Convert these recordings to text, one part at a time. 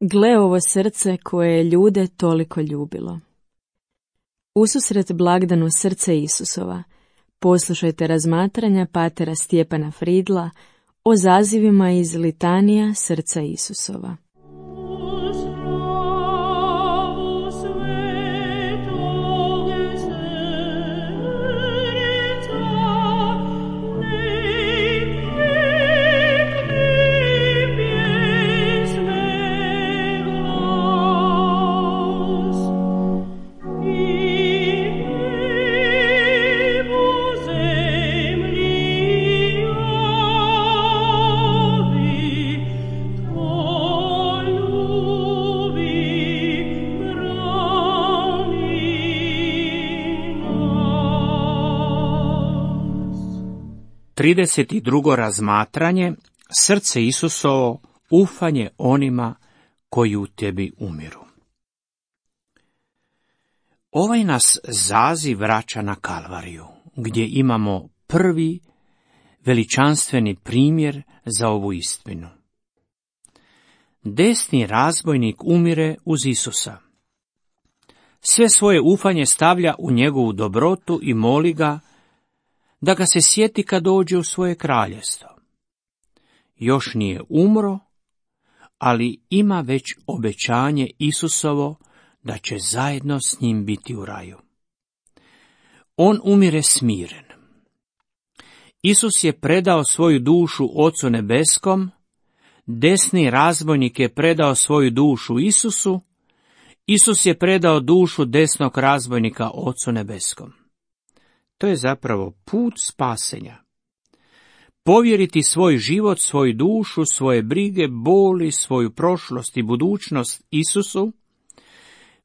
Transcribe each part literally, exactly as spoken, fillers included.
Gle ovo srce koje je ljude toliko ljubilo. Ususret blagdanu srce Isusova, poslušajte razmatranja patera Stjepana Fridla o zazivima iz litanija srca Isusova. trideset drugo razmatranje, srce Isusovo, ufanje onima koji u tebi umiru. Ovaj nas zaziv vraća na Kalvariju, gdje imamo prvi veličanstveni primjer za ovu istinu. Desni razbojnik umire uz Isusa. Sve svoje ufanje stavlja u njegovu dobrotu i moli ga da ga se sjeti kad dođe u svoje kraljestvo. Još nije umro, ali ima već obećanje Isusovo da će zajedno s njim biti u raju. On umire smiren. Isus je predao svoju dušu Ocu nebeskom, desni razbojnik je predao svoju dušu Isusu, Isus je predao dušu desnog razbojnika Ocu nebeskom. To je zapravo put spasenja. Povjeriti svoj život, svoju dušu, svoje brige, boli, svoju prošlost i budućnost Isusu,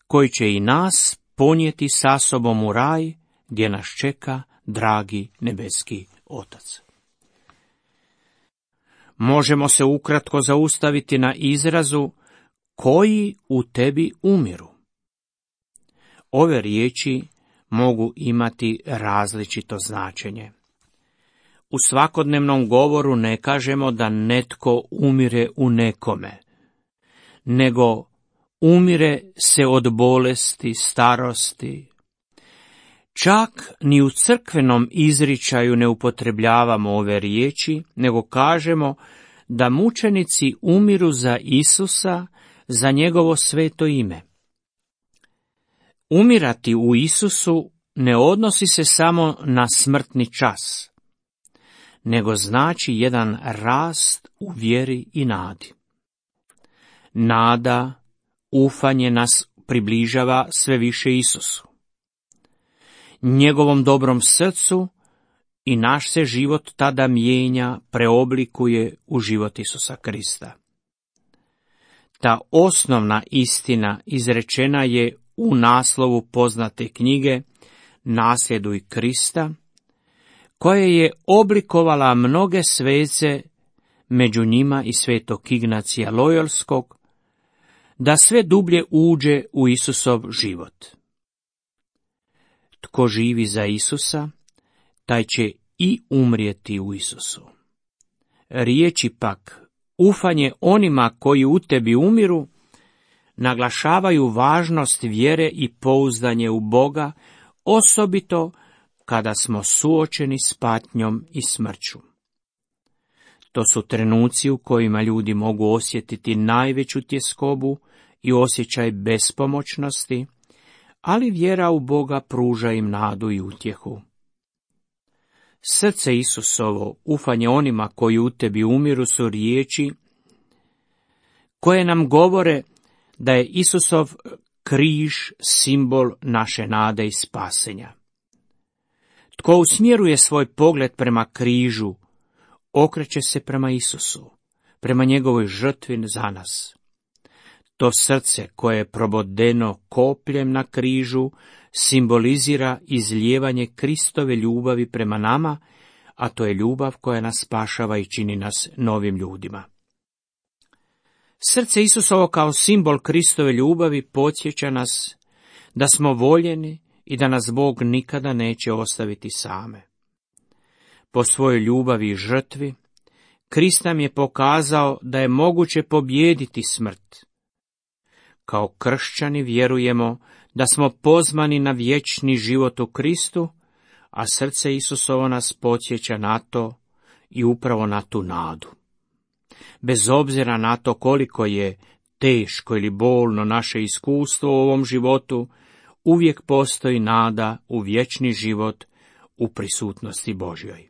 koji će i nas ponijeti sa sobom u raj, gdje nas čeka dragi nebeski Otac. Možemo se ukratko zaustaviti na izrazu koji u tebi umiru. Ove riječi mogu imati različito značenje. U svakodnevnom govoru ne kažemo da netko umire u nekome, nego umire se od bolesti, starosti. Čak ni u crkvenom izričaju ne upotrebljavamo ove riječi, nego kažemo da mučenici umiru za Isusa, za njegovo sveto ime. Umirati u Isusu ne odnosi se samo na smrtni čas, nego znači jedan rast u vjeri i nadi. Nada, ufanje nas približava sve više Isusu. Njegovom dobrom srcu i naš se život tada mijenja, preoblikuje u život Isusa Krista. Ta osnovna istina izrečena je u naslovu poznate knjige Nasljeduj Krista, koja je oblikovala mnoge svece, među njima i svetog Ignacija Lojolskog, da sve dublje uđe u Isusov život. Tko živi za Isusa, taj će i umrijeti u Isusu. Riječi pak, ufanje onima koji u tebi umiru, naglašavaju važnost vjere i pouzdanje u Boga, osobito kada smo suočeni s patnjom i smrću. To su trenuci u kojima ljudi mogu osjetiti najveću tjeskobu i osjećaj bespomoćnosti, ali vjera u Boga pruža im nadu i utjehu. Srce Isusovo, ufanje onima koji u tebi umiru, su riječi koje nam govore da je Isusov križ simbol naše nade i spasenja. Tko usmjeruje svoj pogled prema križu, okreće se prema Isusu, prema njegovoj žrtvi za nas. To srce koje je probodeno kopljem na križu simbolizira izlijevanje Kristove ljubavi prema nama, a to je ljubav koja nas spašava i čini nas novim ljudima. Srce Isusovo kao simbol Kristove ljubavi podsjeća nas da smo voljeni i da nas Bog nikada neće ostaviti same. Po svojoj ljubavi i žrtvi, Krist nam je pokazao da je moguće pobijediti smrt, Kao kršćani vjerujemo da smo pozvani na vječni život u Kristu, a srce Isusovo nas podsjeća na to i upravo na tu nadu. Bez obzira na to koliko je teško ili bolno naše iskustvo u ovom životu, uvijek postoji nada u vječni život u prisutnosti Božjoj.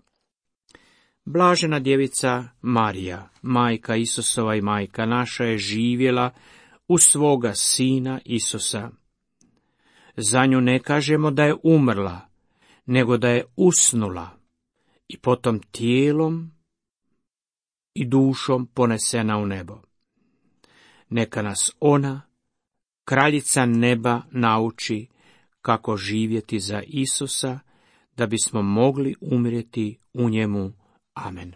Blažena djevica Marija, majka Isusova i majka naša, je živjela u svoga sina Isusa. Za nju ne kažemo da je umrla, nego da je usnula i potom tijelom i dušom ponesena u nebo. Neka nas ona, kraljica neba, nauči kako živjeti za Isusa, da bismo mogli umrijeti u njemu. Amen.